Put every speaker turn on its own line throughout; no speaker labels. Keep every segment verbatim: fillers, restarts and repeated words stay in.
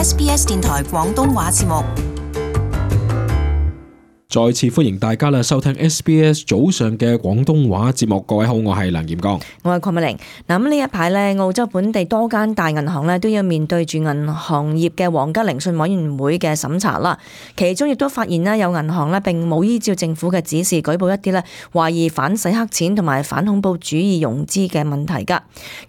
S B S 電台廣東話節目。
再次歡迎大家啦，收聽 S B S 早上嘅廣東話節目。各位好，我係梁炎剛，
我係鄺美玲。嗱，咁呢一排咧，澳洲本地多間大銀行咧都要面對住銀行業嘅皇家聆訊委員會嘅審查啦。其中亦都發現咧，有銀行咧並冇依照政府嘅指示舉報一啲咧懷疑反洗黑錢同埋反恐怖主義融資嘅問題㗎。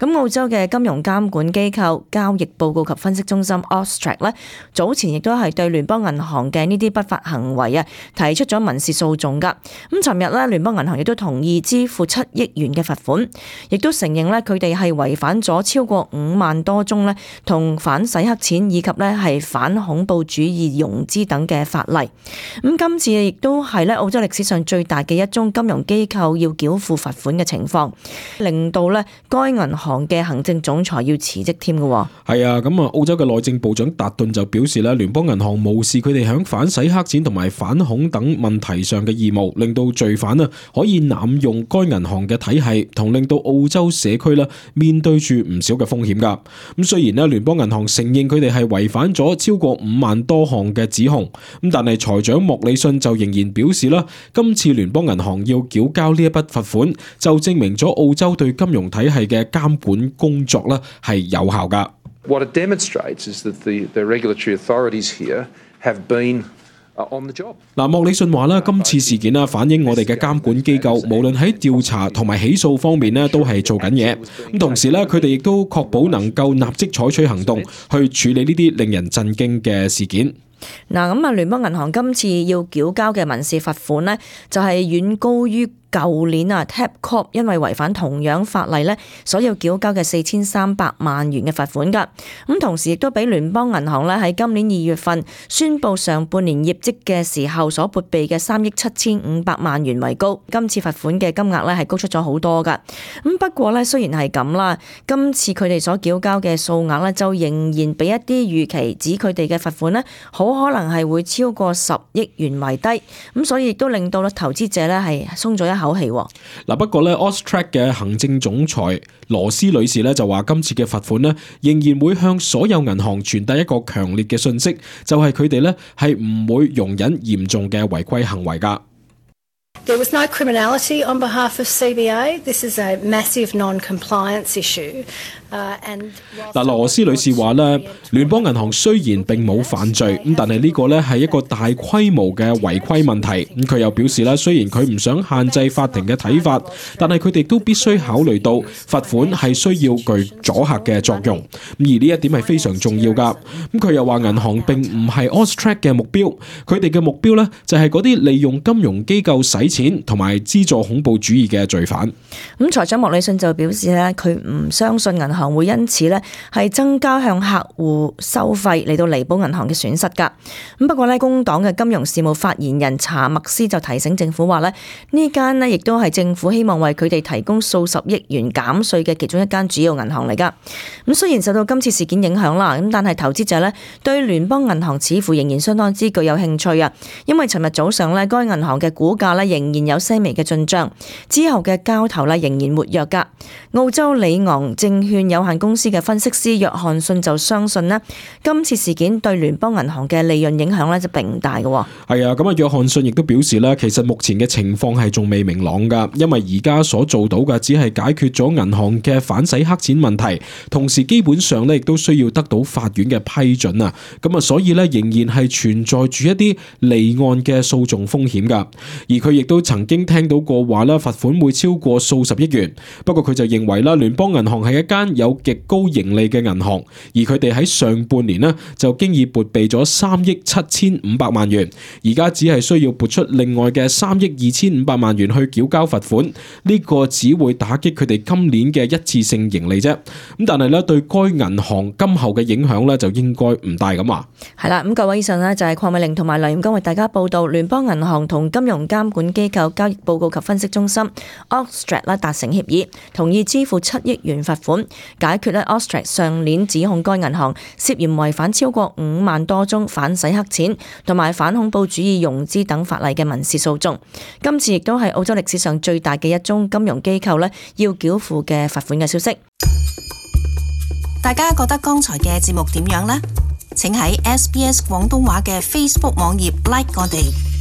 咁澳洲嘅金融監管機構交易報告及分析中心 AUSTRAC 咧，早前亦都係對聯邦銀行嘅呢啲不法行為啊提出咗民事訴訟噶。咁尋日咧，聯邦銀行亦都同意支付七億元嘅罰款，亦都承認咧佢哋係違反咗超過五萬多宗咧同反洗黑錢以及咧係反恐怖主義融資等嘅法例。咁今次亦都係咧澳洲歷史上最大嘅一宗金融機構要繳付罰款嘅情況，令到咧該銀行嘅行政總裁要辭職添嘅。
係啊，咁啊，澳洲嘅內政部長達頓就表示咧，聯邦銀行無視佢哋響反洗黑錢同埋反恐等問題上嘅義務，令到罪犯啊可以濫用該銀行嘅體系，同令到澳洲社區啦面對住唔少嘅風險噶。咁雖然咧聯邦銀行承認佢哋係違反咗超過五萬多項嘅指控，咁但係財長莫里遜就仍然表示啦，今次聯邦銀行要繳交呢一筆罰款，就證明咗澳洲對金融體系嘅監管工作啦係有效噶。
What it demonstrates is that the, the regulatory authorities here have been on the job.
嗱，莫里遜話啦，今次事件啦反映我哋嘅監管機構無論喺調查同埋起訴方面咧都係做緊嘢，咁同時咧佢哋亦都確保能夠立即採取行動去處理呢啲令人震驚嘅事件。
嗱，咁啊，聯邦銀行今次要繳交嘅民事罰款呢，就係遠高於舊年啊 Tabcorp 因為違反同樣法例咧，所要繳交嘅四千三百萬元嘅罰款噶。咁同時亦都比聯邦銀行咧喺今年二月份宣布上半年業績嘅時候所撥備嘅三億七千五百萬元為高。今次罰款嘅金額咧係高出咗好多噶。咁不過咧，雖然係咁啦，今次佢哋所繳交嘅數額咧就仍然比一啲預期指佢哋嘅罰款咧好可能係會超過十億元為低。咁所以亦都令到咧投資者咧係鬆咗一口氣。
嗱，不過咧 AUSTRAC 嘅行政總裁羅斯女士咧就話，今次嘅罰款咧仍然會向所有銀行傳遞一個強烈嘅訊息，就係佢哋咧係唔會容忍嚴重嘅違規行為噶。
There was no criminality on behalf of C B A. This is a massive non-compliance issue.
嗱，羅斯女士話咧，聯邦銀行雖然並冇犯罪，咁但係呢個咧係一個大規模嘅違規問題。咁佢又表示咧，雖然佢唔想限制法庭嘅睇法，但係佢哋都必須考慮到罰款係需要具阻嚇嘅作用。而呢一點係非常重要噶。咁佢又話銀行並唔係 AUSTRAC 嘅目標，佢哋嘅目標咧就係嗰啲利用金融機構洗錢同埋資助恐怖主義嘅罪犯。
咁財長莫里遜就表示咧，佢唔相信銀行會因此咧係增加向客戶收費嚟到彌補銀行嘅損失噶。咁不過咧，工黨嘅金融事務發言人查默斯就提醒政府話咧，呢間咧亦都係政府希望為佢哋提供數十億元減稅嘅其中一間主要銀行嚟噶。咁雖然受到今次事件影響啦，咁但係投資者咧對聯邦銀行似乎仍然相當之具有興趣啊，因為尋日早上咧該銀行嘅股價咧仍然有些微嘅進賬，之後嘅交投咧仍然活躍噶。澳洲里昂證券有限公司嘅分析師約翰遜就相信咧，今次事件對聯邦銀行嘅利潤影響咧就並唔大嘅。
係啊，咁啊約翰遜亦都表示咧，其實目前嘅情況係仲未明朗噶，因為而家所做到嘅只係解決咗銀行嘅反洗黑錢問題，同時基本上咧亦都需要得到法院嘅批准啊。咁啊，所以咧仍然係存在住一啲離岸嘅訴訟風險噶。而佢亦都曾經聽到過話啦，罰款會超過數十億元。不過佢就認為啦，聯邦銀行係一間有極高盈利嘅銀行，而佢哋喺上半年呢就經已撥備咗三億七千五百萬元，而家只係需要撥出另外嘅三億二千五百萬元去繳交罰款，呢、這個只會打擊佢哋今年嘅一次性盈利啫。咁但係咧對該銀行今後嘅影響咧就應該唔大咁話。
係啦，咁各位以上呢就係鄺美玲同埋梁炎剛為大家報道聯邦銀行同金融監管機構交易報告及分析中心 AUSTRAC 啦達成協議，同意支付七億元罰款，解決咧 AUSTRAC 上年指控該銀行涉嫌違反超過五萬多宗反洗黑錢同埋反恐怖主義融資等法例嘅民事訴訟。今次亦都係澳洲歷史上最大嘅一宗金融機構咧要繳付嘅罰款嘅消息。
大家覺得剛才嘅節目點樣呢？請喺 S B S 廣東話嘅 Facebook 網頁 like 我哋。